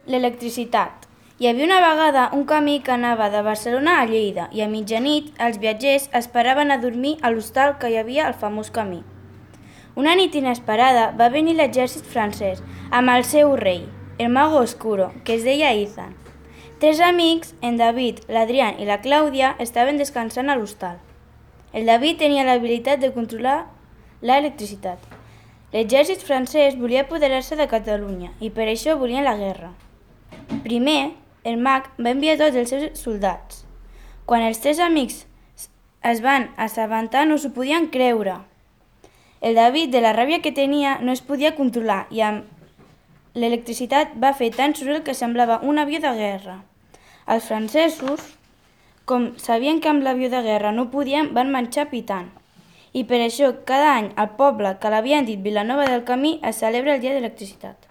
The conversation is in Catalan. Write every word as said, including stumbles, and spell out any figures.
L'electricitat. Hi havia una vegada un camí que anava de Barcelona a Lleida i a mitjanit els viatgers esperaven a dormir a l'hostal que hi havia al famós camí. Una nit inesperada va venir l'exèrcit francès amb el seu rei, el mago oscuro, que es deia Ethan. Tres amics, en David, l'Adrián i la Clàudia, estaven descansant a l'hostal. El David tenia l'habilitat de controlar l'electricitat. L'exèrcit francès volia apoderar-se de Catalunya i per això volien la guerra. Primer, el mag va enviar tots els seus soldats. Quan els tres amics es van assabentar no s'ho podien creure. El David, de la ràbia que tenia, no es podia controlar i amb l'electricitat va fer tant soroll que semblava un avió de guerra. Els francesos, com sabien que amb l'avió de guerra no podien, van marxar pitant. I per això cada any al poble que l'havien dit Vilanova del Camí es celebra el dia de l'electricitat.